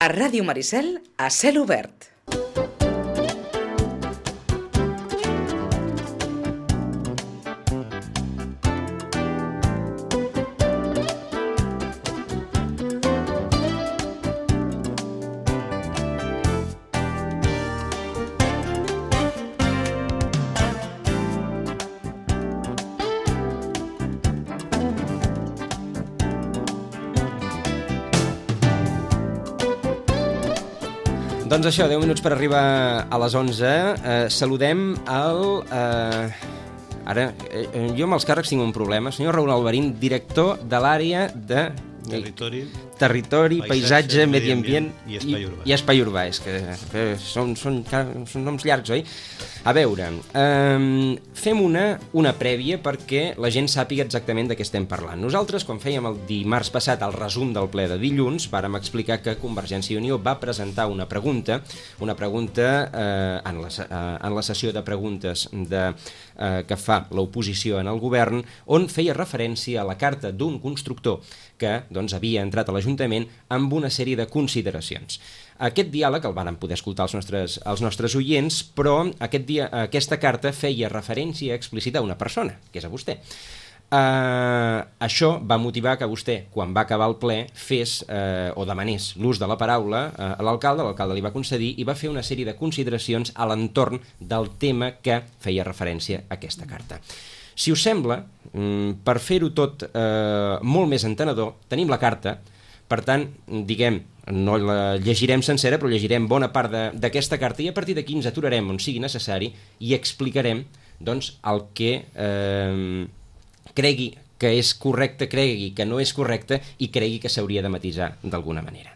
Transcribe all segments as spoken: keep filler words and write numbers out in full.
A Ràdio Maricel, a cel obert. Doncs això, deu minuts per arribar a les onze. Eh, saludem el... Eh, ara, eh, jo amb els càrrecs tinc un problema. Senyor Raúl Alvarín, director de l'àrea de... Territori, Territori, paisatge, paisatge medi ambient i espai urbà. I, i espai urbà. És que eh, són, són, són noms llargs, oi? A veure, eh, fem una, una prèvia perquè la gent sàpiga exactament de què estem parlant. Nosaltres, quan fèiem el dimarts passat el resum del ple de dilluns, vàrem explicar que Convergència i Unió va presentar una pregunta, una pregunta eh, en, la, eh, en la sessió de preguntes de, eh, que fa l'oposició en el govern, on feia referència a la carta d'un constructor que doncs, havia entrat a l'Ajuntament amb una sèrie de consideracions. Aquest diàleg el varen poder escoltar els nostres, els nostres oients, però aquest dia, aquesta carta feia referència explícita a una persona, que és a vostè. Uh, això va motivar que vostè, quan va acabar el ple, fes uh, o demanés l'ús de la paraula uh, a l'alcalde, l'alcalde li va concedir i va fer una sèrie de consideracions a l'entorn del tema que feia referència a aquesta carta. Si us sembla, per fer-ho tot eh, molt més entenedor, tenim la carta, per tant, diguem, no la llegirem sencera, però llegirem bona part d'aquesta carta i a partir d'aquí ens aturarem on sigui necessari i explicarem doncs, el que eh, cregui que és correcte, cregui que no és correcte i cregui que s'hauria de matisar d'alguna manera.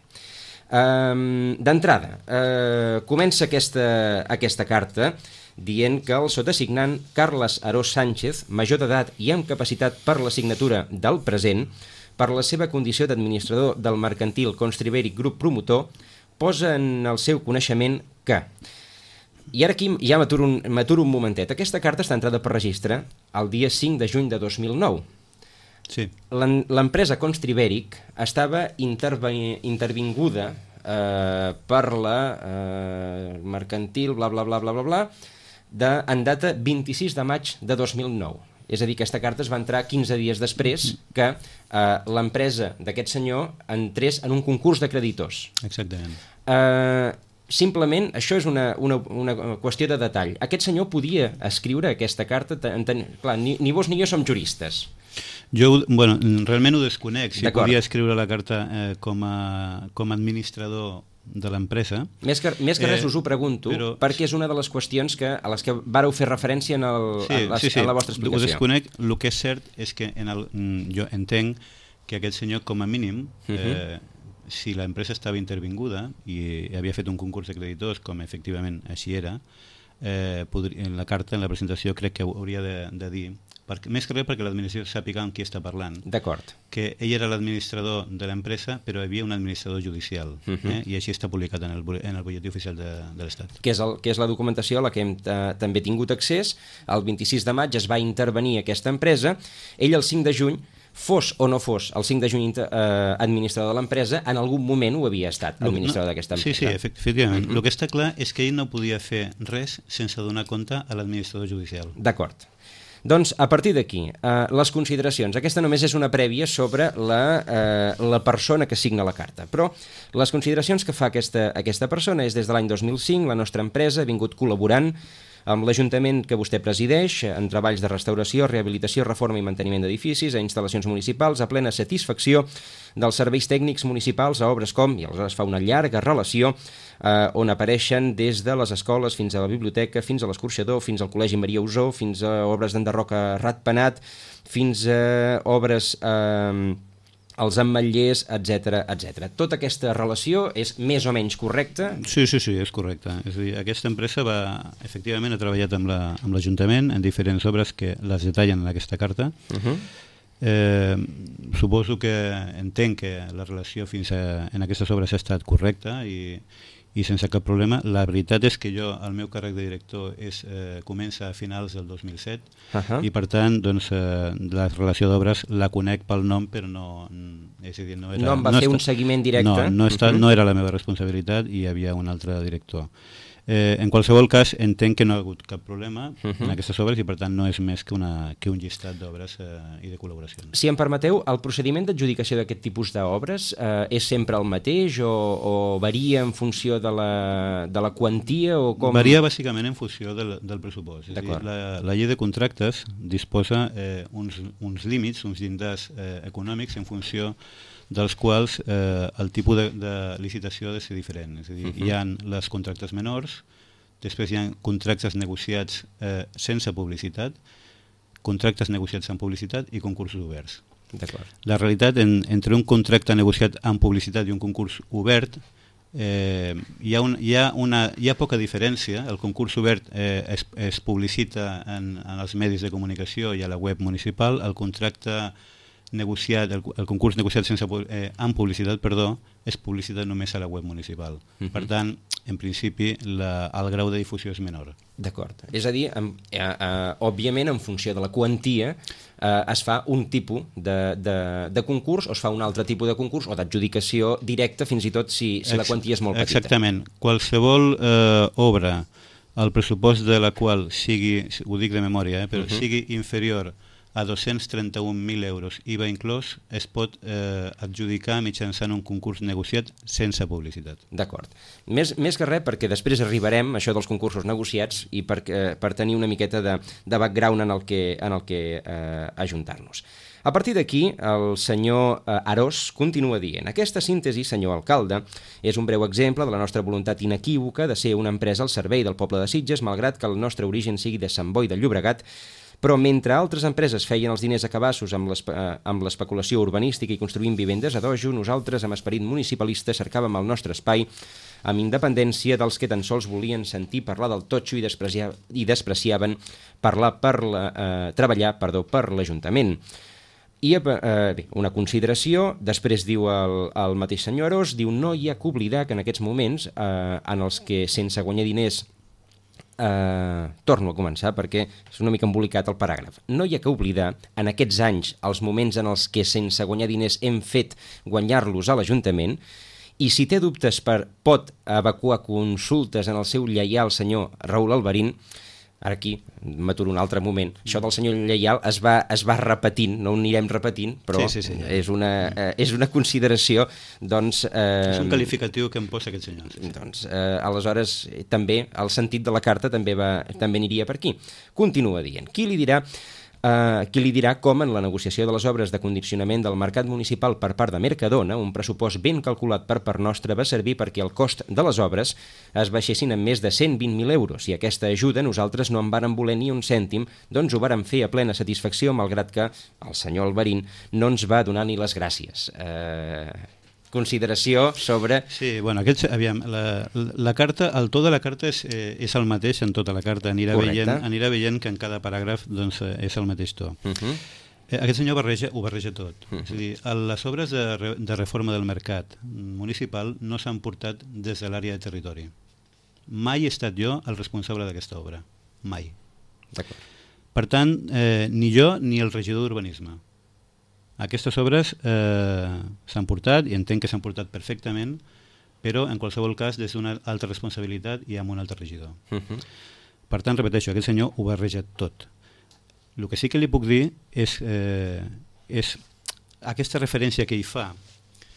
Um, D'entrada, uh, comença aquesta, aquesta carta dient que el sotasignant Carles Arós Sánchez, major d'edat i amb capacitat per la signatura del present, per la seva condició d'administrador del mercantil Constribèric Grup Promotor, posa en el seu coneixement que... I ara aquí ja m'aturo un, m'aturo un momentet. Aquesta carta està entrada per registre el dia cinc de juny de dos mil nou. Sí. L'empresa Constribèric estava interve- intervinguda eh, per la eh, mercantil, bla, bla, bla, bla, bla, bla, de, en data vint-i-sis de maig de dos mil nou. És a dir, que aquesta carta es va entrar quinze dies després que eh, l'empresa d'aquest senyor entrés en un concurs de creditors. Exactament. Eh, simplement, això és una, una, una qüestió de detall. Aquest senyor podia escriure aquesta carta, ten, ten, clar, ni, ni vos ni jo som juristes. Jo, bueno, realment ho desconec, si D'acord. podia escriure la carta eh, com, a, com a administrador de l'empresa. Més que, més que res eh, us ho pregunto, però... perquè és una de les qüestions que, a les que vàreu fer referència en, el, sí, en, la, sí, sí. en la vostra explicació. Ho desconec, el que és cert és que en el, jo entenc que aquest senyor, com a mínim, uh-huh. eh, si l'empresa estava intervinguda i havia fet un concurs de creditors, com efectivament així era, eh, podria, en la carta, en la presentació, crec que hauria de, de dir, perquè, més que res perquè l'administració sàpiga amb qui està parlant. D'acord. Que ell era l'administrador de l'empresa, però hi havia un administrador judicial, uh-huh. eh? i així està publicat en el, en el butlletí oficial de, de l'Estat. Que és, el, que és la documentació a la que hem eh, també tingut accés. El vint-i-sis de maig es va intervenir aquesta empresa. Ell el cinc de juny, fos o no fos el cinc de juny eh, administrador de l'empresa, en algun moment ho havia estat, administrador no, d'aquesta empresa. Sí, sí, efectivament. Uh-huh. El que està clar és que ell no podia fer res sense donar compte a l'administrador judicial. D'acord. Doncs, a partir d'aquí, eh, les consideracions. Aquesta només és una prèvia sobre la, eh, la persona que signa la carta, però les consideracions que fa aquesta, aquesta persona és des de l'any dos mil cinc, la nostra empresa ha vingut col·laborant amb l'Ajuntament que vostè presideix en treballs de restauració, rehabilitació, reforma i manteniment d'edificis, a instal·lacions municipals, a plena satisfacció dels serveis tècnics municipals, a obres com, i aleshores fa una llarga relació, eh, on apareixen des de les escoles fins a la biblioteca, fins a l'escorxador, fins al Col·legi Maria Usó, fins a obres d'enderroca Ratpenat, fins a obres... Eh, els ametllers, etcètera, etcètera. Tota aquesta relació és més o menys correcta? Sí, sí, sí, és correcta. És a dir, aquesta empresa va, efectivament ha treballat amb l'Ajuntament la, amb en diferents obres que les detallen en aquesta carta. Uh-huh. Eh, suposo que entenc que la relació fins a, en aquestes obres ha estat correcta i, i sense cap problema. La veritat és que jo, el meu càrrec de director és, eh, comença a finals del dos mil set uh -huh. i per tant doncs, eh, la relació d'obres la conec pel nom, però no, és a dir, no, era, no em va no fer està, un seguiment directe? No, no, està, uh -huh. no era la meva responsabilitat i hi havia un altre director. Eh, en qualsevol cas, entenc que no ha hagut cap problema uh -huh. en aquestes obres i per tant no és més que, una, que un llistat d'obres eh, i de col·laboracions. Si em permeteu, el procediment d'adjudicació d'aquest tipus d'obres eh, és sempre el mateix o, o varia en funció de la, de la quantia? O com... Varia bàsicament en funció del, del pressupost. És a dir, la, la llei de contractes disposa eh, uns, uns límits, uns llindars eh, econòmics en funció dels quals eh, el tipus de, de licitació ha de ser diferent. És a dir, uh -huh. hi ha les contractes menors, després hi ha contractes negociats eh, sense publicitat, contractes negociats amb publicitat i concursos oberts. La realitat, en, entre un contracte negociat amb publicitat i un concurs obert, eh, hi, ha un, hi, ha una, hi ha poca diferència. El concurs obert eh, es, es publicita en, en els medis de comunicació i a la web municipal. El contracte negociat, el, el concurs negociat sense, eh, amb publicitat, perdó, és publicitat només a la web municipal. Uh -huh. Per tant, en principi, la, el grau de difusió és menor. D'acord. És a dir, en, eh, eh, òbviament, en funció de la quantia, eh, es fa un tipus de, de, de concurs o es fa un altre tipus de concurs o d'adjudicació directa, fins i tot si, si la quantia és molt petita. Exactament. Qualsevol eh, obra, el pressupost de la qual sigui, ho dic de memòria, eh, però uh -huh. sigui inferior a dos-cents trenta-un mil euros I V A inclòs, es pot eh, adjudicar mitjançant un concurs negociat sense publicitat. D'acord. Més, més que res, perquè després arribarem a això dels concursos negociats i per, eh, per tenir una miqueta de, de background en el que, en el que eh, ajuntar-nos. A partir d'aquí, el senyor eh, Arós continua dient: aquesta síntesi, senyor alcalde, és un breu exemple de la nostra voluntat inequívoca de ser una empresa al servei del poble de Sitges, malgrat que el nostre origen sigui de Sant Boi de Llobregat, però mentre altres empreses feien els diners a cabassos amb l'especulació urbanística i construint vivendes a dojo, nosaltres, amb esperit municipalista, cercàvem el nostre espai amb independència dels que tan sols volien sentir parlar del totxo i, despreciar, i despreciaven parlar per la, eh, treballar perdó, per l'Ajuntament. I eh, bé, una consideració, després diu el, el mateix senyor Arós, diu: no hi ha que oblidar que en aquests moments eh, en els que sense guanyar diners Uh, torno a començar perquè és una mica embolicat el paràgraf. No hi ha que oblidar en aquests anys els moments en els que sense guanyar diners hem fet guanyar-los a l'Ajuntament, i si té dubtes per pot evacuar consultes en el seu lleial senyor Raül Alberín. Ara aquí m'aturo un altre moment. Això del senyor lleial es va, es va repetint, no ho anirem repetint, però sí, sí, sí, ja. és, una, eh, és una consideració, doncs... Eh, és un qualificatiu que em posa aquest senyor. Sí, sí. Doncs, eh, aleshores, també, el sentit de la carta també, va, també aniria per aquí. Continua dient: qui li dirà... Uh, qui li dirà com en la negociació de les obres de condicionament del mercat municipal per part de Mercadona, un pressupost ben calculat per part nostra va servir perquè el cost de les obres es baixessin en més de cent vint mil euros, i aquesta ajuda nosaltres no en vàrem voler ni un cèntim, doncs ho vàrem fer a plena satisfacció, malgrat que el senyor Alberín no ens va donar ni les gràcies. Uh, consideració sobre... Sí, bueno, aquest, aviam, la, la carta, el to de la carta és, eh, és el mateix en tota la carta, anirà veient, anirà veient que en cada paràgraf doncs, és el mateix to. Uh -huh. eh, aquest senyor barreja, ho barreja tot. Uh -huh. És a dir, les obres de, de reforma del mercat municipal no s'han portat des de l'àrea de territori. Mai he estat jo el responsable d'aquesta obra. Mai. Per tant, eh, ni jo ni el regidor d'urbanisme. Aquestes obres eh, s'han portat, i entenc que s'han portat perfectament, però en qualsevol cas des d'una altra responsabilitat i amb un altre regidor. Uh -huh. Per tant, repeteixo, aquest senyor ho barreja tot. El que sí que li puc dir és, eh, és aquesta referència que hi fa.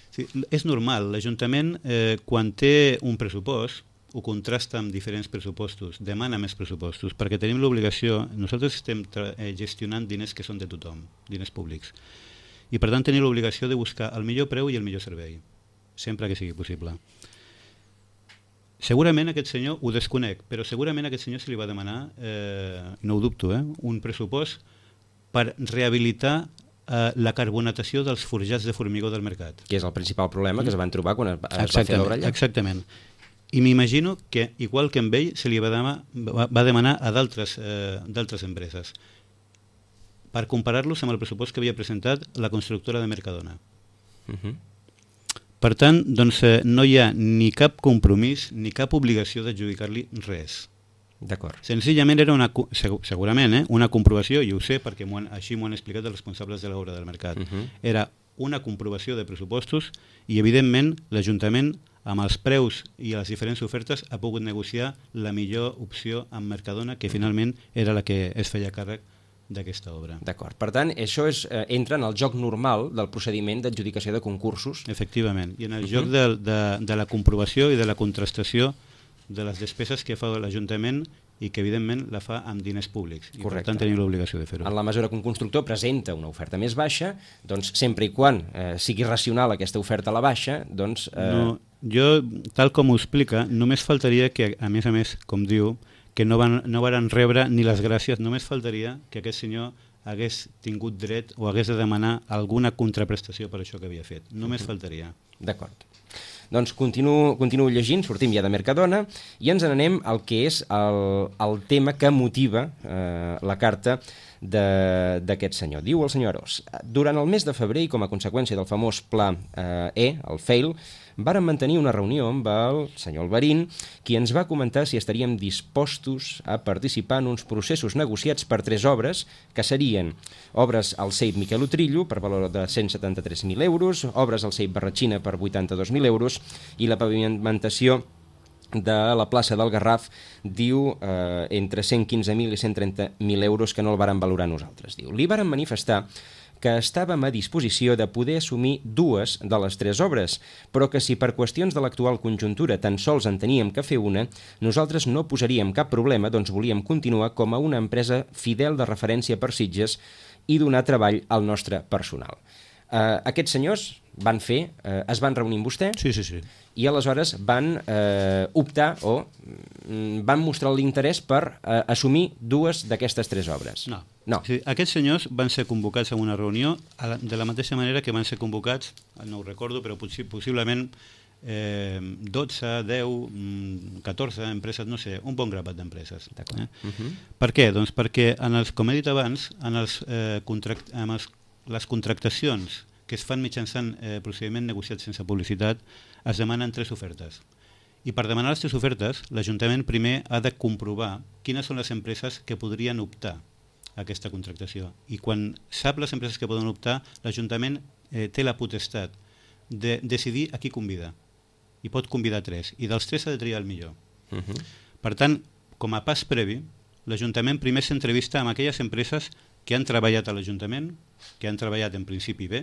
Sí, és normal, l'Ajuntament, eh, quan té un pressupost, ho contrasta amb diferents pressupostos, demana més pressupostos, perquè tenim l'obligació, nosaltres estem eh, gestionant diners que són de tothom, diners públics, i per tant tenim l'obligació de buscar el millor preu i el millor servei, sempre que sigui possible. Segurament aquest senyor, ho desconec, però segurament aquest senyor se li va demanar, eh, no ho dubto, eh, un pressupost per rehabilitar eh, la carbonatació dels forjats de formigó del mercat. Que és el principal problema que es van trobar quan es, es va fer l'obra allà. Exactament. I m'imagino que, igual que amb ell, se li va demanar, va, va demanar a d'altres eh, d'altres empreses, per comparar-los amb el pressupost que havia presentat la constructora de Mercadona. Uh-huh. Per tant, doncs, eh, no hi ha ni cap compromís ni cap obligació d'adjudicar-li res. D'acord. Senzillament era una, segurament, eh, una comprovació, i ho sé perquè han, així m'ho han explicat els responsables de l'obra del mercat. Uh-huh. Era una comprovació de pressupostos i, evidentment, l'Ajuntament, amb els preus i les diferents ofertes, ha pogut negociar la millor opció amb Mercadona, que finalment era la que es feia càrrec d'aquesta obra. D'acord. Per tant, això és, eh, entra en el joc normal del procediment d'adjudicació de concursos. Efectivament. I en el uh-huh. joc de, de, de la comprovació i de la contrastació de les despeses que fa l'Ajuntament i que, evidentment, la fa amb diners públics. I, correcte. Per tant, tenim l'obligació de fer-ho. En la mesura que un constructor presenta una oferta més baixa, doncs, sempre i quan eh, sigui racional aquesta oferta a la baixa, doncs... Eh... No, jo, tal com ho explica, només faltaria que, a més a més, com diu, que no van, no van rebre ni les gràcies, només faltaria que aquest senyor hagués tingut dret o hagués de demanar alguna contraprestació per això que havia fet. Només uh-huh. faltaria. D'acord. Doncs continuo, continuo llegint, sortim ja de Mercadona i ens n'anem al que és el, el tema que motiva eh, la carta d'aquest senyor. Diu el senyor Arós: durant el mes de febrer i com a conseqüència del famós pla eh, E, el fail, vàrem mantenir una reunió amb el senyor Alberín, qui ens va comentar si estaríem dispostos a participar en uns processos negociats per tres obres, que serien obres al C E I P Miquel Utrillo per valor de cent setanta-tres mil euros, obres al C E I P Barratxina per vuitanta-dos mil euros i la pavimentació de la plaça del Garraf, diu, eh, entre cent quinze mil i cent trenta mil euros, que no el varen valorar nosaltres. Diu, li varen manifestar que estàvem a disposició de poder assumir dues de les tres obres, però que si per qüestions de l'actual conjuntura tan sols en teníem que fer una, nosaltres no posaríem cap problema, doncs volíem continuar com a una empresa fidel de referència per Sitges i donar treball al nostre personal. Uh, aquests senyors van fer, uh, es van reunir amb vostè, sí, sí, sí. i aleshores van uh, optar o mm, van mostrar l'interès per uh, assumir dues d'aquestes tres obres. No. no. Sí, aquests senyors van ser convocats a una reunió a la, de la mateixa manera que van ser convocats, no ho recordo, però possi possiblement eh, dotze, deu, catorze empreses, no sé, un bon grapat d'empreses. Eh? Uh-huh. Per què? Doncs perquè, en els, com he dit abans, en els, eh, contract, en els les contractacions que es fan mitjançant eh, procediment negociat sense publicitat es demanen tres ofertes. I per demanar les tres ofertes, l'Ajuntament primer ha de comprovar quines són les empreses que podrien optar a aquesta contractació. I quan sap les empreses que poden optar, l'Ajuntament eh, té la potestat de decidir a qui convida. I pot convidar tres. I dels tres ha de triar el millor. Uh-huh. Per tant, com a pas previ, l'Ajuntament primer s'entrevista amb aquelles empreses que han treballat a l'Ajuntament, que han treballat en principi bé,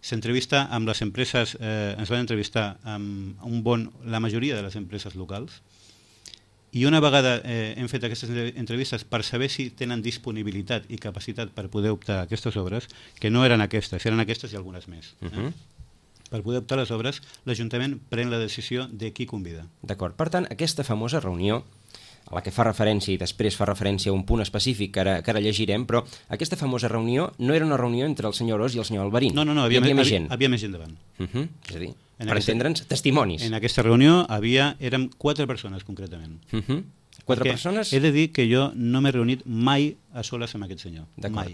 s'entrevista amb les empreses, eh, ens van entrevistar amb un bon, la majoria de les empreses locals, i una vegada eh, hem fet aquestes entrevistes per saber si tenen disponibilitat i capacitat per poder optar a aquestes obres, que no eren aquestes, eren aquestes i algunes més. Eh? Uh-huh. Per poder optar a les obres, l'Ajuntament pren la decisió de qui convida. D'acord. Per tant, aquesta famosa reunió a la que fa referència i després fa referència a un punt específic que ara, que ara llegirem, però aquesta famosa reunió no era una reunió entre el senyor Arós i el senyor Alberín. No, no, no, havia, hi havia, havia més gent. Havia més gent davant. Uh -huh. És a dir, en per aquesta, entendre'ns, testimonis. En aquesta reunió havia, érem quatre persones, concretament. Uh -huh. Quatre Perquè persones? He de dir que jo no m'he reunit mai a soles amb aquest senyor. D'acord. Mai.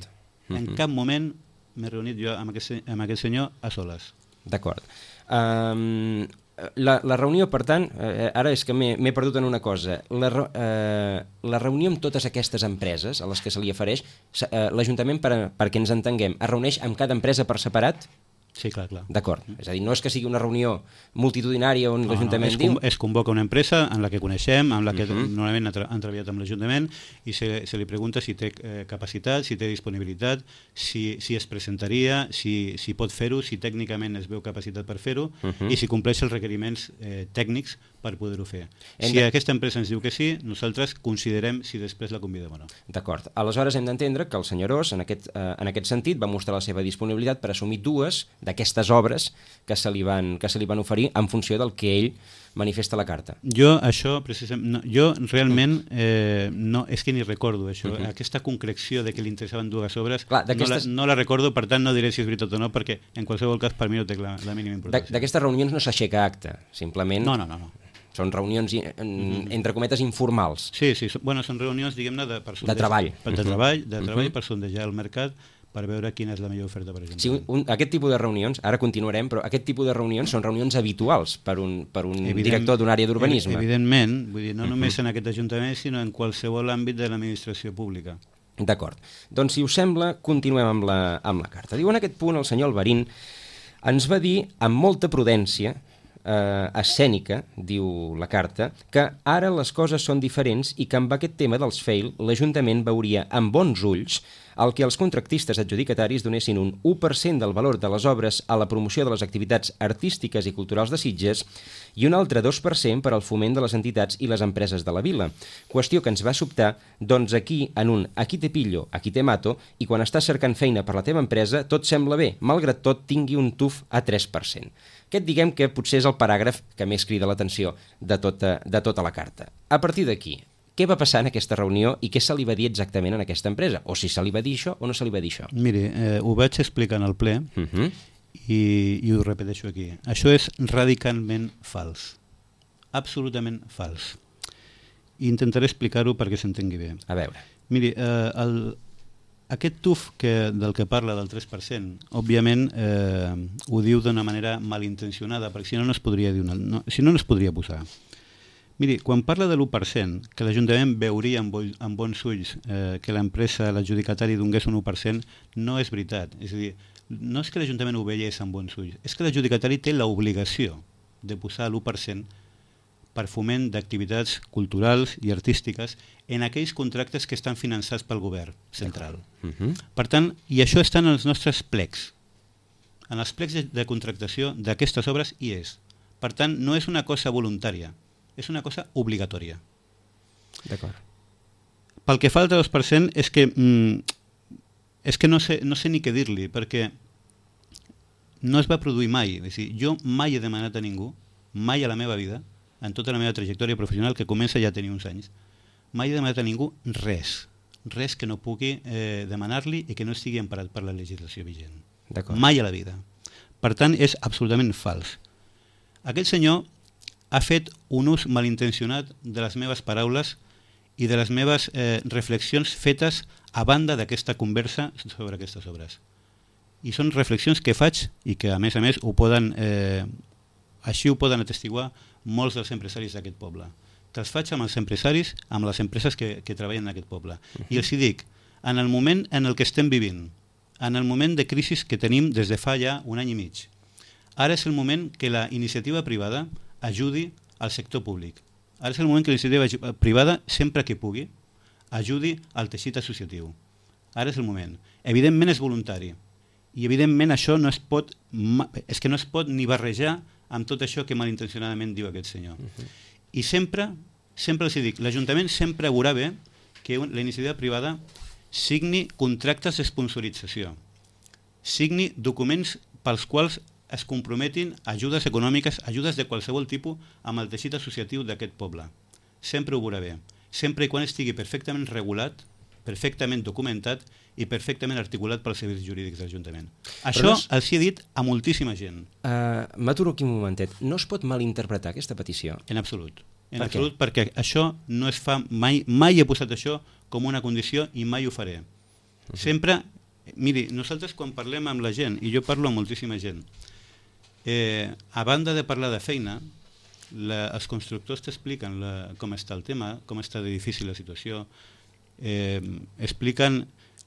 Uh -huh. En cap moment m'he reunit jo amb aquest, amb aquest senyor a soles. D'acord. Um, la, la reunió, per tant, eh, ara és que m'he perdut en una cosa. La, eh, la reunió amb totes aquestes empreses a les que se li ofereix, eh, l'Ajuntament, per, perquè ens entenguem, es reuneix amb cada empresa per separat? Sí, clar, clar. D'acord. És a dir, no és que sigui una reunió multitudinària on no, l'Ajuntament no, diu... Es convoca una empresa en la que coneixem, en la que uh -huh. normalment han, tra han treballat amb l'Ajuntament, i se, se li pregunta si té eh, capacitat, si té disponibilitat, si, si es presentaria, si, si pot fer-ho, si tècnicament es veu capacitat per fer-ho, uh -huh. i si compleix els requeriments eh, tècnics per poder-ho fer. Hem si de... aquesta empresa ens diu que sí, nosaltres considerem si després la convidem o no. D'acord. Aleshores hem d'entendre que el senyor Ros, en aquest, eh, en aquest sentit, va mostrar la seva disponibilitat per assumir dues d'aquestes obres que se li van, que se li van oferir en funció del que ell manifesta a la carta. Jo això, precisament, no, jo realment eh, no, és que ni recordo això, uh -huh. aquesta concreció de que li interessaven dues obres. Clar, no, la, no la recordo, per tant no diré si és veritat o no, perquè en qualsevol cas per mi no té la, la mínima importància. D'aquestes reunions no s'aixeca acte, simplement... No, no, no. no. Són reunions, en, entre cometes, informals. Sí, sí, bueno, són reunions, diguem-ne, de, per de treball. De, de treball, de treball uh -huh. per sondejar el mercat, per veure quina és la millor oferta per exemple. Sí, un, un, aquest tipus de reunions, ara continuarem, però aquest tipus de reunions són reunions habituals per un, per un Evident, director d'una àrea d'urbanisme. Evidentment, vull dir, no només en aquest ajuntament, sinó en qualsevol àmbit de l'administració pública. D'acord. Doncs, si us sembla, continuem amb la, amb la carta. Diu, en aquest punt, el senyor Alvarín ens va dir, amb molta prudència, eh, escènica, diu la carta, que ara les coses són diferents i que amb aquest tema dels fail l'Ajuntament veuria amb bons ulls el que els contractistes adjudicataris donessin un u per cent del valor de les obres a la promoció de les activitats artístiques i culturals de Sitges i un altre dos per cent per al foment de les entitats i les empreses de la vila. Qüestió que ens va sobtar, doncs aquí, en un aquí te pillo, aquí te mato, i quan estàs cercant feina per la teva empresa, tot sembla bé, malgrat tot tingui un tuf a tres per cent. Aquest diguem que potser és el paràgraf que més crida l'atenció de tota, de tota la carta. A partir d'aquí, què va passar en aquesta reunió i què se li va dir exactament en aquesta empresa? O si se li va dir això o no se li va dir això? Miri, eh, ho vaig explicar en el ple uh -huh. i, i ho repeteixo aquí. Això és radicalment fals. Absolutament fals. I intentaré explicar-ho perquè s'entengui bé. A veure. Miri, eh, el, aquest tuf que, del que parla del tres per cent, òbviament eh, ho diu d'una manera malintencionada, perquè si no no es podria dir una, no, si no no es podria posar. Miri, quan parla de l'u per cent, que l'Ajuntament veuria amb, amb bons ulls eh, que l'empresa, l'adjudicatari donés un u per cent, no és veritat. És a dir, no és que l'Ajuntament ho veiés amb bons ulls, és que l'adjudicatari té l'obligació de posar l'u per cent per foment d'activitats culturals i artístiques en aquells contractes que estan finançats pel govern central. Uh -huh. Per tant, i això està en els nostres plecs. En els plecs de, de contractació d'aquestes obres hi és. Per tant, no és una cosa voluntària, és una cosa obligatòria. D'acord. Pel que fa al dos per cent és que mm, és que no sé, no sé ni què dir-li, perquè no es va produir mai. És dir, jo mai he demanat a ningú, mai a la meva vida, en tota la meva trajectòria professional, que comença ja a tenir uns anys, mai he demanat a ningú res, res que no pugui eh, demanar-li i que no estigui emparat per la legislació vigent. Mai a la vida. Per tant, és absolutament fals. Aquest senyor ha fet un ús malintencionat de les meves paraules i de les meves eh, reflexions fetes a banda d'aquesta conversa sobre aquestes obres. I són reflexions que faig i que, a més a més, ho poden, eh, així ho poden atestiguar molts dels empresaris d'aquest poble. Que els faig amb els empresaris, amb les empreses que, que treballen en aquest poble. Uh-huh. I els hi dic, en el moment en el que estem vivint, en el moment de crisi que tenim des de fa ja un any i mig, ara és el moment que la iniciativa privada ajudi al sector públic. Ara és el moment que la iniciativa privada, sempre que pugui, ajudi al teixit associatiu. Ara és el moment. Evidentment és voluntari. I evidentment això no es pot, és que no es pot ni barrejar amb tot això que malintencionadament diu aquest senyor. Uh-huh. I sempre, sempre els dic, l'Ajuntament sempre veurà bé que la iniciativa privada signi contractes d'esponsorització, signi documents pels quals es comprometin ajudes econòmiques, ajudes de qualsevol tipus amb el teixit associatiu d'aquest poble. Sempre ho veurà bé. Sempre i quan estigui perfectament regulat, perfectament documentat i perfectament articulat pels serveis jurídics de l'Ajuntament. Això no és... els hi he dit a moltíssima gent. Uh, M'aturo aquí un momentet. No es pot malinterpretar aquesta petició? En absolut. En per absolut, què? Perquè això no es fa mai, mai he posat això com una condició i mai ho faré. Uh-huh. Sempre, miri, nosaltres quan parlem amb la gent, i jo parlo amb moltíssima gent, eh, a banda de parlar de feina, la, els constructors t'expliquen la, com està el tema, com està de difícil la situació, eh, expliquen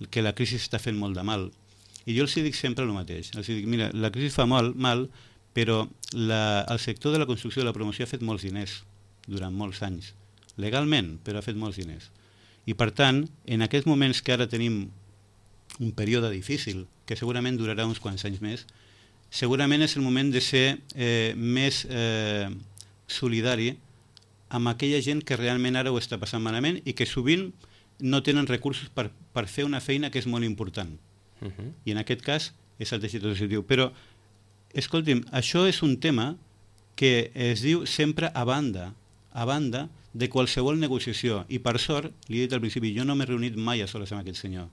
que la crisi està fent molt de mal. I jo els dic sempre el mateix. Els dic, mira, la crisi fa mal, mal però la, el sector de la construcció i de la promoció ha fet molts diners durant molts anys. Legalment, però ha fet molts diners. I per tant, en aquests moments que ara tenim un període difícil, que segurament durarà uns quants anys més, segurament és el moment de ser eh, més eh, solidari amb aquella gent que realment ara ho està passant malament i que sovint no tenen recursos per, per fer una feina que és molt important. Uh-huh. I en aquest cas és el teixit associatiu. Però, escolti'm, això és un tema que es diu sempre a banda, a banda de qualsevol negociació. I per sort, li he dit al principi, jo no m'he reunit mai a soles amb aquest senyor.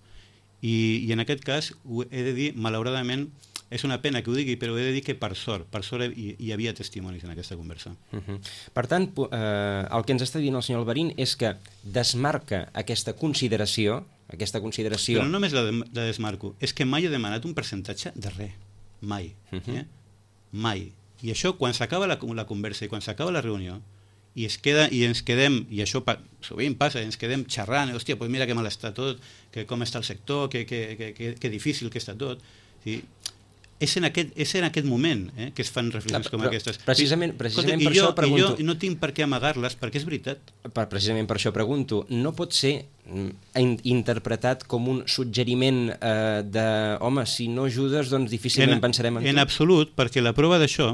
I, i en aquest cas, he de dir, malauradament, és una pena que ho digui, però he de dir que per sort, per sort hi, hi havia testimonis en aquesta conversa. Uh-huh. Per tant, eh, el que ens està dient el senyor Alberín és que desmarca aquesta consideració, aquesta consideració... Però no només la, de, la desmarco, és que mai he demanat un percentatge de res, mai, uh-huh. eh? mai. I això, quan s'acaba la, la conversa i quan s'acaba la reunió, i, es queda, i ens quedem, i això pa, sovint passa, ens quedem xerrant, hòstia, pues mira que mal està tot, que com està el sector, que, que, que, que, que difícil que està tot... Sí. És en aquest, és en aquest moment eh, que es fan reflexions no, com aquestes. Precisament, precisament Escolta, per jo, això pregunto... I jo no tinc per què amagar-les, perquè és veritat. Per, precisament per això pregunto, no pot ser in, interpretat com un suggeriment eh, de, home, si no ajudes, doncs difícilment en, pensarem en tu? En absolut, perquè la prova d'això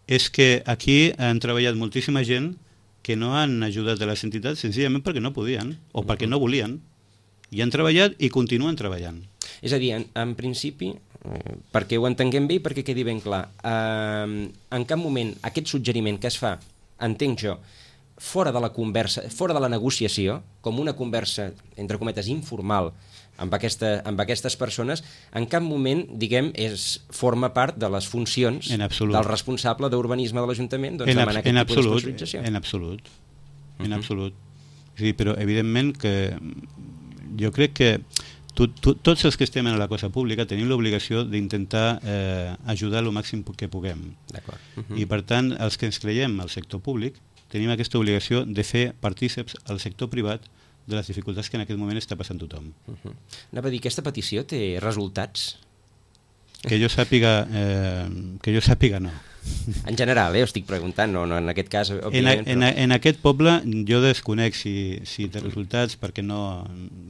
és que aquí han treballat moltíssima gent que no han ajudat a les entitats senzillament perquè no podien, o perquè no volien, i han treballat i continuen treballant. És a dir, en, en principi, eh, perquè ho entenguem bé i perquè quedi ben clar, eh, en cap moment aquest suggeriment que es fa, entenc jo, fora de la conversa, fora de la negociació, com una conversa, entre cometes, informal, amb, aquesta, amb aquestes persones, en cap moment, diguem, és, forma part de les funcions del responsable d'urbanisme de l'Ajuntament doncs, demanar aquest tipus de sponsorització. En absolut, en uh-huh. absolut. Sí, però evidentment que jo crec que tu, tu, tots els que estem en la cosa pública tenim l'obligació d'intentar eh, ajudar el màxim que puguem. D'acord. Uh-huh. I per tant, els que ens creiem al sector públic tenim aquesta obligació de fer partíceps al sector privat de les dificultats que en aquest moment està passant tothom. Uh-huh. Anava a dir, aquesta petició té resultats? Que jo sàpiga, eh, que jo sàpiga no. En general, eh, ho estic preguntant, no, no en aquest cas, òbviament. En, a, en, en aquest poble jo desconec si, si té resultats perquè no,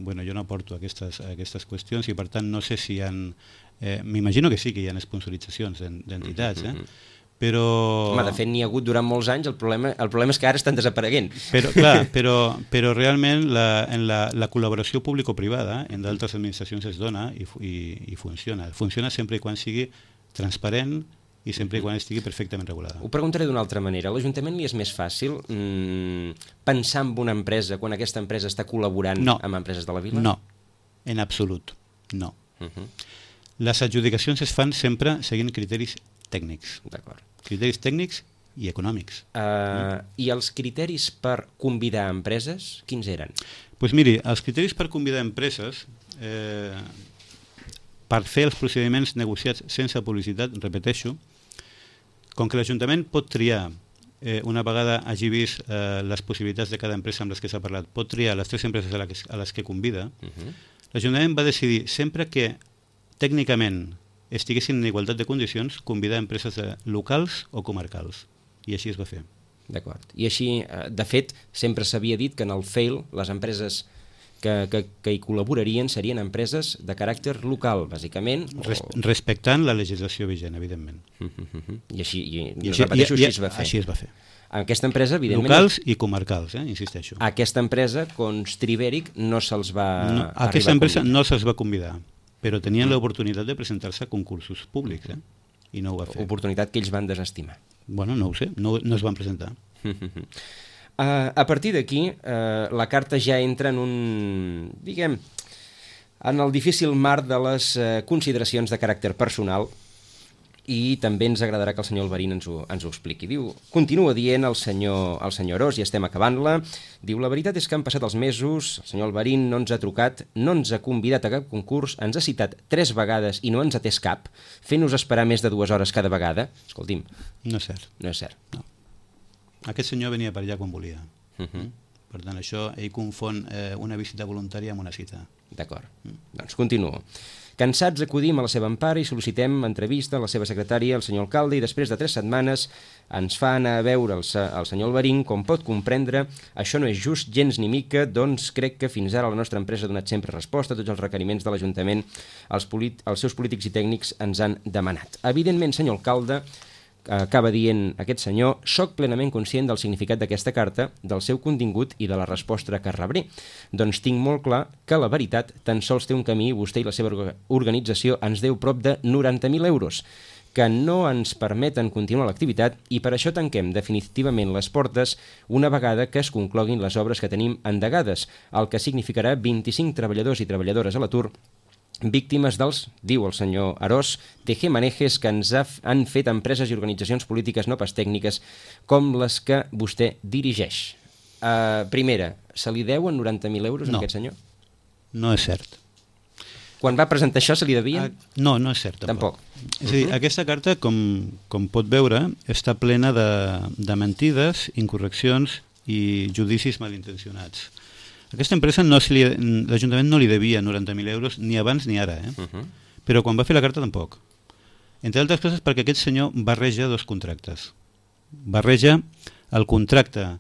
bueno, jo no porto aquestes, aquestes qüestions i per tant no sé si hi ha... Eh, m'imagino que sí que hi ha sponsoritzacions d'entitats, eh? Però... Home, de fet n'hi ha hagut durant molts anys, el problema, el problema és que ara estan desapareguent. Però, clar, però, però realment la, en la, la col·laboració público-privada en d'altres administracions es dona i, i, i funciona. Funciona sempre i quan sigui transparent i sempre i quan estigui perfectament regulada. Ho preguntaré d'una altra manera. A l'Ajuntament li és més fàcil mmm, pensar en una empresa quan aquesta empresa està col·laborant no. amb empreses de la vila? No, en absolut, no. Uh-huh. Les adjudicacions es fan sempre seguint criteris tècnics. D'acord. Criteris tècnics i econòmics. Uh, mm. I els criteris per convidar empreses, quins eren? Doncs pues miri, els criteris per convidar empreses, eh, per fer els procediments negociats sense publicitat, repeteixo, com que l'Ajuntament pot triar, eh, una vegada hagi vist eh, les possibilitats de cada empresa amb les que s'ha parlat, pot triar les tres empreses a les, a les que convida, uh-huh. l'Ajuntament va decidir, sempre que tècnicament estiguessin en igualtat de condicions, convidar empreses locals o comarcals. I així es va fer. D'acord. I així, de fet, sempre s'havia dit que en el F E I L les empreses que, que, que hi col·laborarien serien empreses de caràcter local, bàsicament. O... Res, respectant la legislació vigent, evidentment. Uh-huh. I així, i, I, I repeteixo, i, i, així es va fer. Així es va fer. Aquesta empresa, evidentment... Locals i comarcals, eh, insisteixo. Aquesta empresa, Constribèric, no se'ls va no, aquesta empresa no se'ls va convidar, però tenien l'oportunitat de presentar-se a concursos públics, eh? I no ho va fer. Oportunitat que ells van desestimar. Bueno, no ho sé, no, no es van presentar. Uh, a partir d'aquí, uh, la carta ja entra en un, diguem, en el difícil marc de les uh, consideracions de caràcter personal, i també ens agradarà que el senyor Alberín ens ho, ens ho expliqui. Diu, continua dient el senyor, el senyor Ros, i estem acabant-la, diu, la veritat és que han passat els mesos, el senyor Alberín no ens ha trucat, no ens ha convidat a cap concurs, ens ha citat tres vegades i no ens ha atès cap, fent-nos esperar més de dues hores cada vegada. Escolti'm. No és cert. No és cert. No. Aquest senyor venia per allà quan volia. Uh-huh. Per tant, això, ell confon eh, una visita voluntària amb una cita. D'acord. Mm. Doncs continuo. Cansats acudim a la seva empara i sol·licitem entrevista a la seva secretària, el senyor alcalde, i després de tres setmanes ens fa anar a veure el, el senyor Alberín. Com pot comprendre, això no és just gens ni mica, doncs crec que fins ara la nostra empresa ha donat sempre resposta a tots els requeriments de l'Ajuntament. Els, els seus polítics i tècnics ens han demanat. Evidentment, senyor alcalde, acaba dient aquest senyor, soc plenament conscient del significat d'aquesta carta, del seu contingut i de la resposta que rebré. Doncs tinc molt clar que la veritat tan sols té un camí i vostè i la seva organització ens deu prop de noranta mil euros, que no ens permeten continuar l'activitat i per això tanquem definitivament les portes una vegada que es concloguin les obres que tenim endegades, el que significarà vint-i-cinc treballadors i treballadores a l'atur víctimes dels, diu el senyor Arós, tejemanejes que ens ha, han fet empreses i organitzacions polítiques no pas tècniques com les que vostè dirigeix. Uh, primera, se li deuen noranta mil euros no. a aquest senyor? No és cert. Quan va presentar això se li devien? Ah, no, no és cert, tampoc. Tampoc. És a dir, uh-huh. aquesta carta, com, com pot veure, està plena de, de mentides, incorreccions i judicis malintencionats. Aquesta empresa, no se li, l'Ajuntament no li devia noranta mil euros ni abans ni ara, eh? Uh-huh. Però quan va fer la carta tampoc. Entre altres coses perquè aquest senyor barreja dos contractes. Barreja el contracte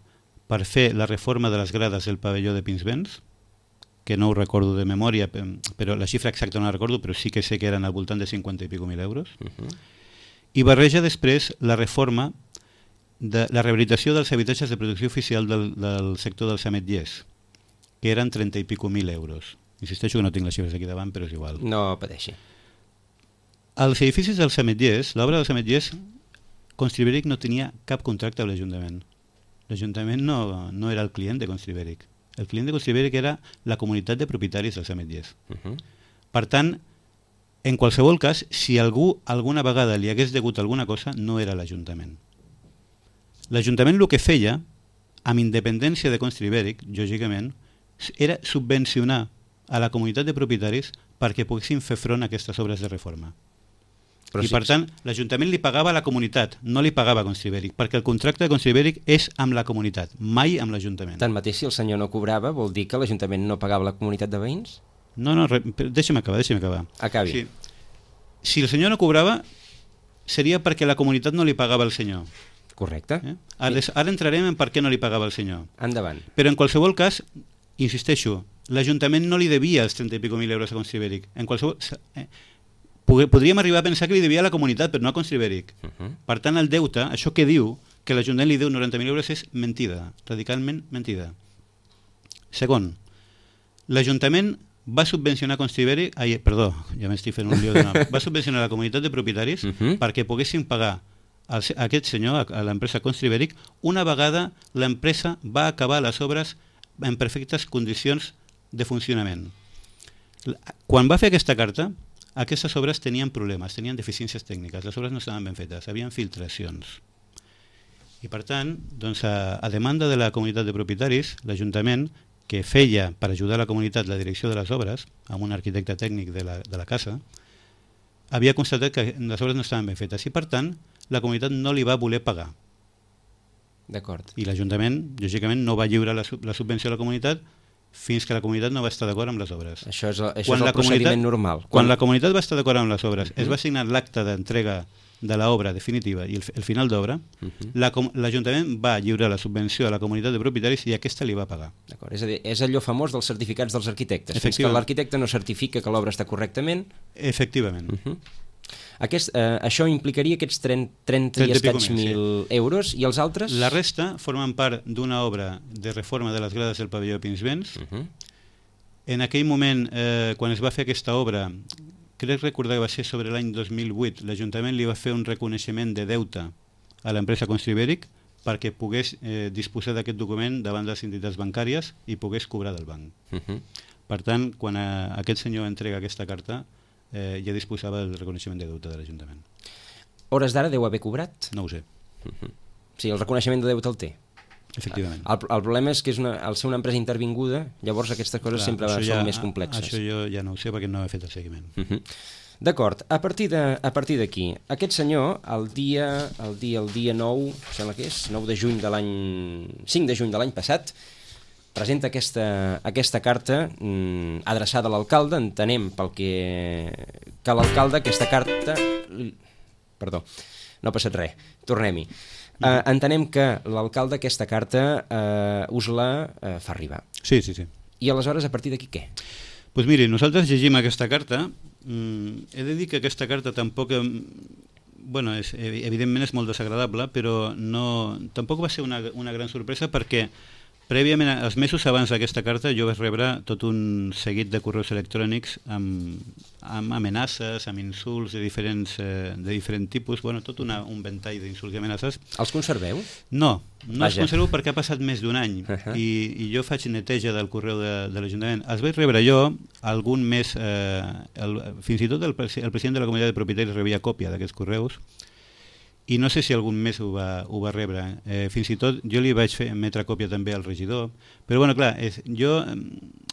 per fer la reforma de les grades del pavelló de Pinsbens, que no ho recordo de memòria, però la xifra exacta no la recordo, però sí que sé que eren al voltant de cinquanta i pico mil euros. Uh-huh. I barreja després la reforma de la rehabilitació dels habitatges de protecció oficial del, del sector dels ametllers, que eren trenta i pico mil euros. Insisteixo que no tinc les xifres aquí davant, però és igual. No pateixi. Als edificis dels ametllers, l'obra dels ametllers, Constribèric no tenia cap contracte amb l'Ajuntament. L'Ajuntament no, no era el client de Constribèric. El client de Constribèric era la comunitat de propietaris dels ametllers. Uh-huh. Per tant, en qualsevol cas, si algú alguna vegada li hagués degut alguna cosa, no era l'Ajuntament. L'Ajuntament el que feia, amb independència de Constribèric, lògicament, era subvencionar a la comunitat de propietaris perquè poguessin fer front a aquestes obres de reforma. Però I sí, per tant, l'Ajuntament li pagava a la comunitat, no li pagava a Constribèric, perquè el contracte de Constribèric és amb la comunitat, mai amb l'Ajuntament. Tanmateix, si el senyor no cobrava, vol dir que l'Ajuntament no pagava a la comunitat de veïns? No, no, re, deixa'm acabar, deixa'm acabar. Acabi. Sí. Si el senyor no cobrava, seria perquè la comunitat no li pagava al senyor. Correcte. Eh? Ara, ara entrarem en per què no li pagava al senyor. Endavant. Però en qualsevol cas, insisteixo, l'Ajuntament no li devia els trenta i pico mil euros a Constribèric. En qualsevol... Eh, podríem arribar a pensar que li devia a la comunitat, però no a Constribèric. Uh-huh. Per tant, el deute, això que diu, que l'Ajuntament li deu noranta mil euros, és mentida, radicalment mentida. Segon, l'Ajuntament va subvencionar Constribèric, ai, perdó, ja m'estic fent un lío de nom, va subvencionar la comunitat de propietaris uh-huh. perquè poguessin pagar a aquest senyor, a l'empresa Constribèric, una vegada l'empresa va acabar les obres en perfectes condicions de funcionament. Quan va fer aquesta carta, aquestes obres tenien problemes, tenien deficiències tècniques, les obres no estaven ben fetes, havien filtracions. I per tant, doncs, a, a demanda de la comunitat de propietaris, l'Ajuntament, que feia per ajudar la comunitat la direcció de les obres, amb un arquitecte tècnic de la, de la casa, havia constatat que les obres no estaven ben fetes i per tant la comunitat no li va voler pagar. D'acord. I l'Ajuntament, lògicament, no va lliurar la, la subvenció a la comunitat fins que la comunitat no va estar d'acord amb les obres. Això és, això és el procediment normal. Quan, quan la comunitat va estar d'acord amb les obres, uh-huh. es va signar l'acte d'entrega de l'obra definitiva i el, el final d'obra, uh-huh. l'Ajuntament va lliurar la subvenció a la comunitat de propietaris i aquesta li va pagar. D'acord. És a dir, és allò famós dels certificats dels arquitectes. Fins que l'arquitecte no certifica que l'obra està correctament... Efectivament. Uh-huh. Aquest, eh, això implicaria aquests trenta, trenta i escaig mil sí. euros i els altres? La resta formen part d'una obra de reforma de les grades del pavelló de Pinsbens. Uh-huh. En aquell moment, eh, quan es va fer aquesta obra, crec recordar que va ser sobre l'any dos mil vuit, l'Ajuntament li va fer un reconeixement de deute a l'empresa Constribèric perquè pogués eh, disposar d'aquest document davant de les entitats bancàries i pogués cobrar del banc. Uh-huh. Per tant, quan eh, aquest senyor entrega aquesta carta, Eh, ja disposava del reconeixement de deute de l'Ajuntament. Hores d'ara deu haver cobrat? No ho sé. Uh-huh. Sí, el reconeixement de deute el té. Efectivament. El, el problema és que és una, al ser una empresa intervinguda, llavors aquestes coses Clar, sempre són ja, més complexes. Això jo ja no ho sé perquè no he fet el seguiment. Uh-huh. D'acord, a partir de, a partir d'aquí, aquest senyor, el dia, el dia, el dia nou, sembla que és, nou de juny de l'any... cinc de juny de l'any passat, presenta aquesta, aquesta carta mm, adreçada a l'alcalde. Entenem pel que, que l'alcalde aquesta carta... Perdó, no ha passat res, tornem-hi. Uh, entenem que l'alcalde aquesta carta uh, us la uh, fa arribar. Sí, sí, sí. I aleshores, a partir d'aquí, què? Doncs pues miri, nosaltres llegim aquesta carta. Mm, he de dir que aquesta carta tampoc... Bueno, és, evidentment és molt desagradable, però no, tampoc va ser una, una gran sorpresa perquè Prèviament, els mesos abans d'aquesta carta, jo vaig rebre tot un seguit de correus electrònics amb, amb amenaces, amb insults de diferents, eh, de diferent tipus, bueno, tot una, un ventall d'insults i amenaces. Els conserveu? No, no Vaja. els conservo perquè ha passat més d'un any, uh -huh. i, i jo faig neteja del correu de, de l'Ajuntament. Els vaig rebre jo, algun mes, eh, el, fins i tot el, el president de la comunitat de propietaris rebia còpia d'aquests correus, i no sé si algun mes ho va, ho va rebre. Eh, fins i tot jo li vaig fer emetre còpia també al regidor, però bueno, clar, és, jo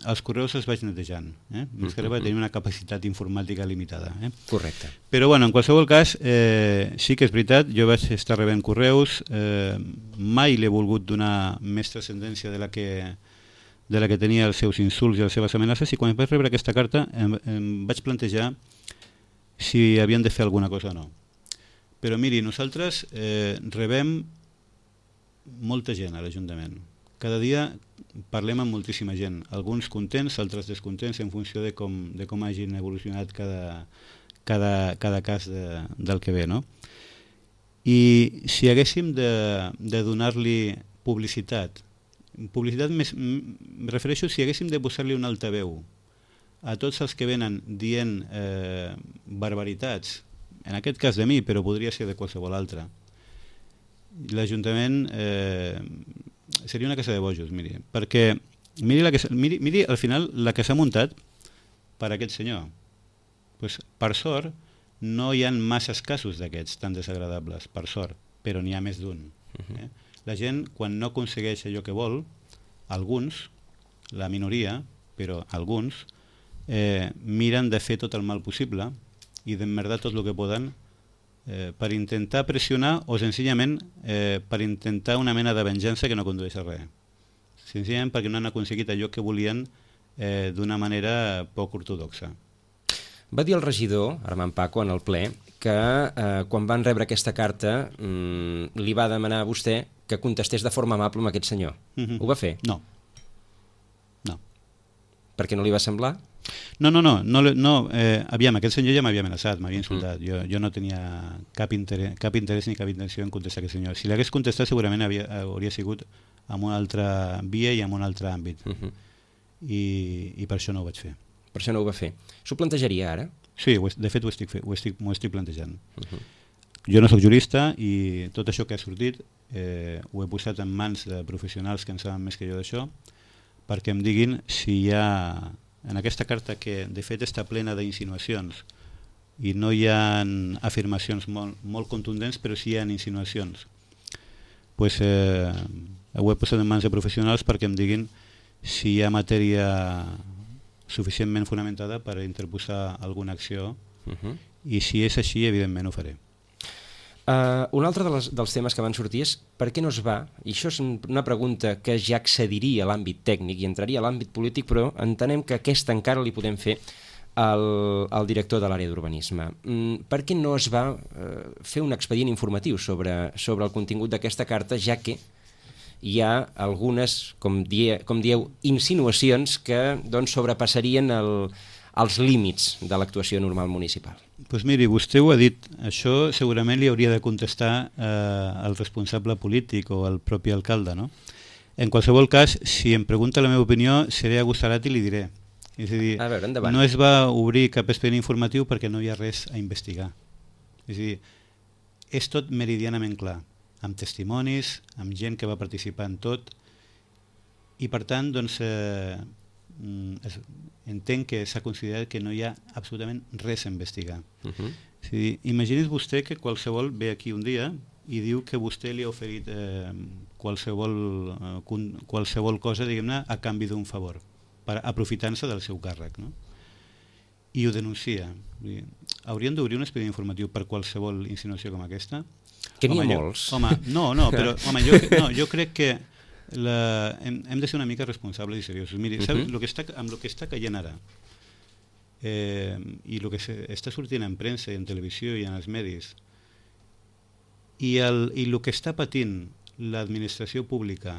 els correus els vaig netejant, eh? Més que res va tenir una capacitat informàtica limitada. Eh? Correcte. Però bueno, en qualsevol cas, eh, sí que és veritat, jo vaig estar rebent correus, eh, mai l'he volgut donar més transcendència de la que de la que tenia els seus insults i les seves amenaces, i quan vaig rebre aquesta carta em, em vaig plantejar si havien de fer alguna cosa o no. Però miri, nosaltres eh, rebem molta gent a l'Ajuntament. Cada dia parlem amb moltíssima gent, alguns contents, altres descontents, en funció de com, de com hagin evolucionat cada, cada, cada cas de, del que ve, no? I si haguéssim de, de donar-li publicitat, publicitat més, em refereixo si haguéssim de posar-li un altaveu a tots els que venen dient eh, barbaritats, en aquest cas de mi, però podria ser de qualsevol altre, l'Ajuntament eh, seria una casa de bojos, miri, perquè miri, la que, miri, miri al final la que s'ha muntat per aquest senyor. Pues, per sort, no hi ha masses casos d'aquests tan desagradables, per sort, però n'hi ha més d'un. Eh? La gent, quan no aconsegueix allò que vol, alguns, la minoria, però alguns, eh, miren de fer tot el mal possible i d'emmerdar tot el que poden eh, per intentar pressionar o senzillament eh, per intentar una mena de venjança que no condueix a res. Senzillament perquè no han aconseguit allò que volien eh, d'una manera poc ortodoxa. Va dir el regidor, Armand Paco, en el ple, que eh, quan van rebre aquesta carta mmm, li va demanar a vostè que contestés de forma amable amb aquest senyor. Mm-hmm. Ho va fer? No. No. Per què no li va semblar? No, no, no, no, no eh, aviam, aquest senyor ja m'havia amenaçat, m'havia insultat, mm. jo, jo no tenia cap interès, cap interès ni cap intenció en contestar a aquest senyor. Si l'hagués contestat segurament havia, hauria sigut en una altra via i en un altre àmbit, mm-hmm. I, i per això no ho vaig fer. Per això no ho va fer. S'ho plantejaria ara? Sí, de fet ho estic, fe, ho estic, m'ho estic plantejant. Uh-huh. Jo no sóc jurista i tot això que ha sortit eh, ho he posat en mans de professionals que en saben més que jo d'això, perquè em diguin si hi ha, en aquesta carta que de fet està plena d'insinuacions i no hi ha afirmacions molt, molt contundents, però sí hi ha insinuacions, pues, eh, ho he posat en mans de professionals perquè em diguin si hi ha matèria suficientment fonamentada per interposar alguna acció, uh-huh. I si és així, evidentment ho faré. Uh, un altre de les, dels temes que van sortir és per què no es va, i això és una pregunta que ja accediria a l'àmbit tècnic i entraria a l'àmbit polític, però entenem que aquesta encara li podem fer al, al director de l'àrea d'urbanisme. Mm, per què no es va uh, fer un expedient informatiu sobre, sobre el contingut d'aquesta carta, ja que hi ha algunes, com, die, com dieu, insinuacions que doncs, sobrepassarien el, els límits de l'actuació normal municipal? Pues miri, vostè ho ha dit, això segurament li hauria de contestar eh, el responsable polític o el propi alcalde, no? En qualsevol cas, si em pregunta la meva opinió, seré agosarat i li diré. És a dir, a veure, endavant. No es va obrir cap expedient informatiu perquè no hi ha res a investigar. És a dir, és tot meridianament clar, amb testimonis, amb gent que va participar en tot, i per tant doncs, eh, es, entenc que s'ha considerat que no hi ha absolutament res a investigar. Uh-huh. És a dir, imagini's vostè que qualsevol ve aquí un dia i diu que vostè li ha oferit eh, qualsevol, eh, qualsevol cosa, diguem-ne, a canvi d'un favor, per aprofitant-se del seu càrrec, no? I ho denuncia. Haurien d'obrir un expedient informatiu per qualsevol insinuació com aquesta? Que n'hi ha home, molts. Jo, home, no, no, però home, jo, no, jo crec que la, hem, hem de ser una mica responsables i seriosos. Miri, uh-huh. Saps, lo que està, amb el que està caient ara eh, i el que se, està sortint en premsa i en televisió i en els medis i el, i el que està patint l'administració pública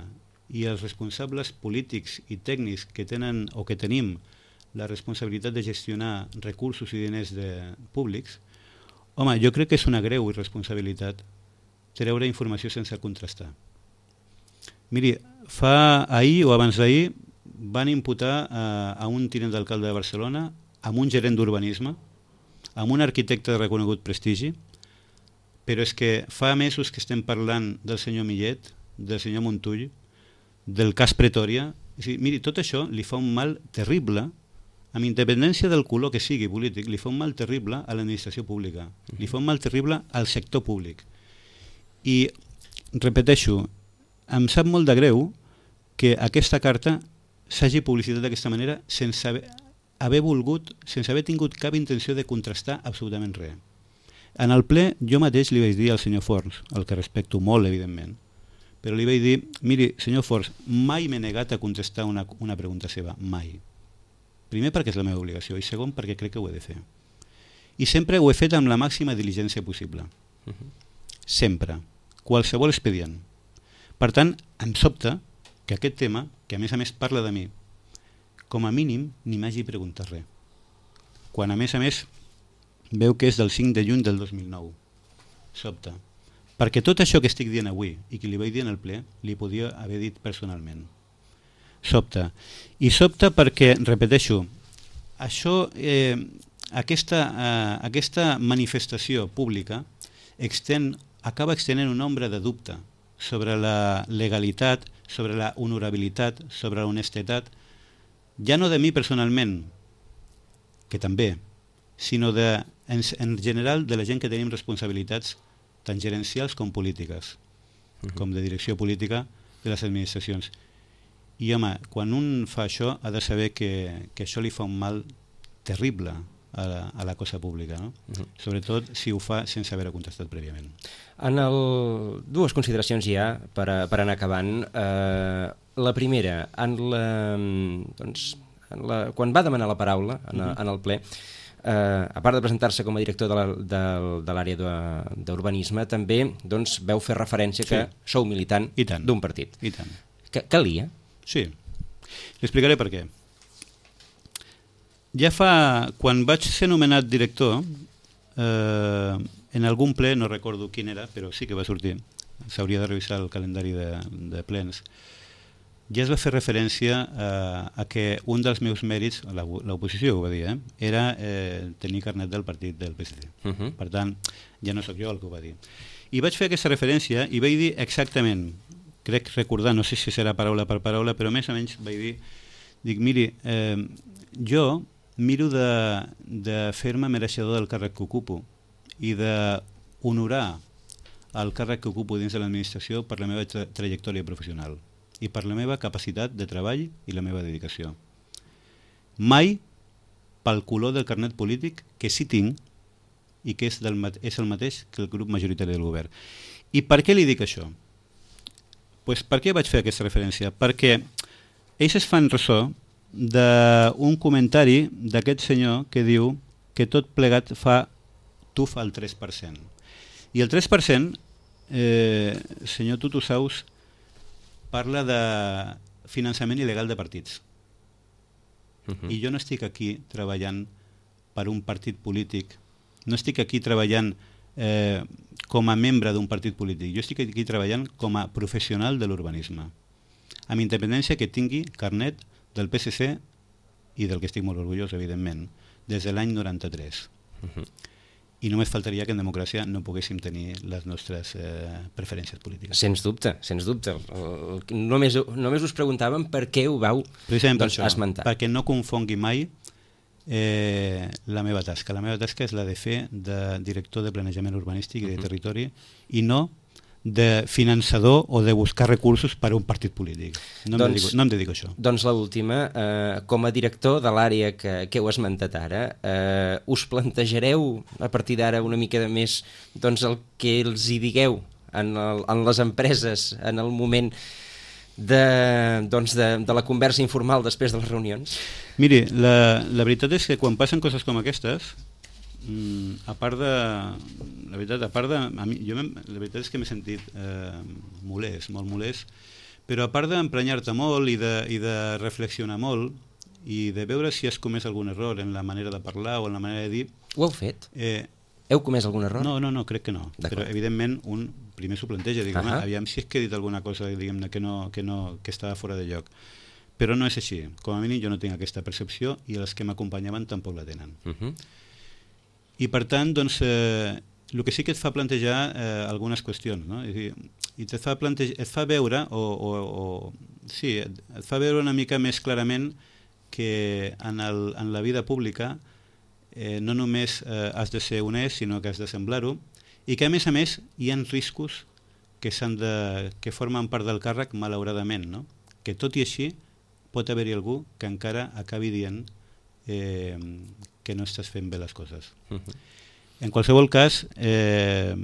i els responsables polítics i tècnics que tenen o que tenim la responsabilitat de gestionar recursos i diners de, públics, home, jo crec que és una greu irresponsabilitat treure informació sense contrastar. Miri, fa ahir o abans d'ahir van imputar a, a un tinent d'alcalde de Barcelona, amb un gerent d'urbanisme, amb un arquitecte de reconegut prestigi, però és que fa mesos que estem parlant del senyor Millet, del senyor Montull, del cas Pretòria. És dir, miri, tot això li fa un mal terrible, amb independència del color que sigui polític, li fa un mal terrible a l'administració pública, li fa un mal terrible al sector públic. I, repeteixo, em sap molt de greu que aquesta carta s'hagi publicitat d'aquesta manera sense haver, haver volgut, sense haver tingut cap intenció de contrastar absolutament res. En el ple jo mateix li vaig dir al senyor Forns, el que respecto molt, evidentment, però li vaig dir, miri, senyor Forns, mai m'he negat a contestar una, una pregunta seva, mai. Primer perquè és la meva obligació i segon perquè crec que ho he de fer. I sempre ho he fet amb la màxima diligència possible. Uh-huh. Sempre. Qualsevol expedient. Per tant, em sobta que aquest tema, que a més a més parla de mi, com a mínim ni m'hagi preguntat res. Quan a més a més veu que és del cinc de juny del dos mil nou. Sobta. Perquè tot això que estic dient avui i que li vaig dir en el ple, li podia haver dit personalment. Sobta. I sobta perquè, repeteixo, això, eh, aquesta, eh, aquesta manifestació pública extén, acaba extenent una ombra de dubte sobre la legalitat, sobre la honorabilitat, sobre la honestedat, ja no de mi personalment, que també, sinó de, en, en general de la gent que tenim responsabilitats tant gerencials com polítiques, uh-huh. com de direcció política de les administracions. I home, quan un fa això ha de saber que, que això li fa un mal terrible a la, a la cosa pública, no? Uh-huh. Sobretot si ho fa sense haver contestat prèviament. En el... Dues consideracions ja per, a, per anar acabant. Eh, la primera, en la, doncs, en la, quan va demanar la paraula en, uh-huh. en el ple, eh, a part de presentar-se com a director de, la, de, de l'àrea d'urbanisme, també doncs, veu fer referència que sí. Sou militant d'un partit. I tant. Que, calia? Sí. L'explicaré per què. Ja fa... Quan vaig ser nomenat director, eh, en algun ple, no recordo quin era, però sí que va sortir, s'hauria de revisar el calendari de, de plens, ja es va fer referència a, a que un dels meus mèrits, l'oposició ho va dir, eh, era eh, tenir carnet del partit del P S C. Uh-huh. Per tant, ja no sóc jo el que ho va dir. I vaig fer aquesta referència i vaig dir exactament, crec recordar, no sé si serà paraula per paraula, però més o menys vaig dir, dic, miri, eh, jo miro de, de fer-me mereixedor del càrrec que ocupo i d'honorar el càrrec que ocupo dins de l'administració per la meva tra trajectòria professional i per la meva capacitat de treball i la meva dedicació. Mai pel color del carnet polític que sí tinc i que és, del, és el mateix que el grup majoritari del govern. I per què li dic això? Pues per què vaig fer aquesta referència? Perquè ells es fan ressò d'un comentari d'aquest senyor que diu que tot plegat fa tuf al tres per cent. I el tres per cent, eh, senyor Tutu Saus, parla de finançament il·legal de partits. Uh-huh. I jo no estic aquí treballant per un partit polític, no estic aquí treballant eh, com a membre d'un partit polític, jo estic aquí treballant com a professional de l'urbanisme, amb independència que tingui carnet del P S C i del que estic molt orgullós, evidentment, des de l'any noranta-tres. Uh-huh. I només faltaria que en democràcia no poguéssim tenir les nostres eh, preferències polítiques. Sens dubte, sens dubte. Només, només us preguntàvem per què ho vau doncs, esmentar. Perquè no confongui mai eh, la meva tasca. La meva tasca és la de fer de director de planejament urbanístic i de territori i no de finançador o de buscar recursos per a un partit polític. No, doncs, em, dedico, no em dedico a això. Doncs l'última, eh, com a director de l'àrea que, que heu esmentat ara, eh, us plantejareu a partir d'ara una mica de més doncs, el que els hi digueu en, el, en les empreses en el moment de, doncs, de, de la conversa informal després de les reunions? Miri, la, la veritat és que quan passen coses com aquestes, Mm, a part de la veritat, a part de a mi, jo la veritat és que m'he sentit eh, molest, molt molest, però a part d'emprenyar-te molt i de, i de reflexionar molt i de veure si has comès algun error en la manera de parlar o en la manera de dir... Ho heu fet? Eh, Heu comès algun error? No, no, no, crec que no. Però, evidentment, un primer s'ho planteja, diguem, uh -huh. aviam si és que he dit alguna cosa diguem, que, no, que, no, que estava fora de lloc. Però no és així. Com a mínim jo no tinc aquesta percepció i els que m'acompanyaven tampoc la tenen. Uh -huh. I per tant, doncs, eh, el que sí que et fa plantejar eh, algunes qüestions, no? És a dir, i et fa, plantejar, et fa veure, o, o, o sí, et, et fa veure una mica més clarament que en, el, en la vida pública eh, no només eh, has de ser honest, sinó que has de semblar-ho, i que a més a més hi ha riscos que, s'han de, que formen part del càrrec malauradament, no? Que tot i així pot haver-hi algú que encara acabi dient eh, que no estàs fent bé les coses. Uh -huh. En qualsevol cas, eh,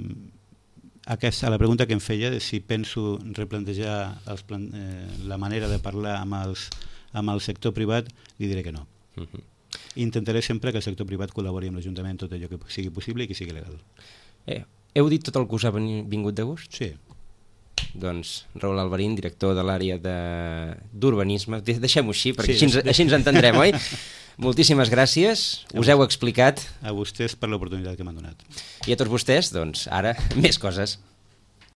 aquesta, a la pregunta que em feia de si penso replantejar els plan, eh, la manera de parlar amb, els, amb el sector privat, li diré que no. Uh -huh. Intentaré sempre que el sector privat col·labori amb l'Ajuntament tot allò que sigui possible i que sigui legal. Eh, heu dit tot el que us ha vingut de gust? Sí. Doncs Raül Alberín, director de l'àrea d'urbanisme, de... deixem-ho així, perquè sí, així, ens, així ens entendrem, oi? Moltíssimes gràcies, us heu explicat. A vostès per l'oportunitat que m'han donat. I a tots vostès, doncs, ara, més coses.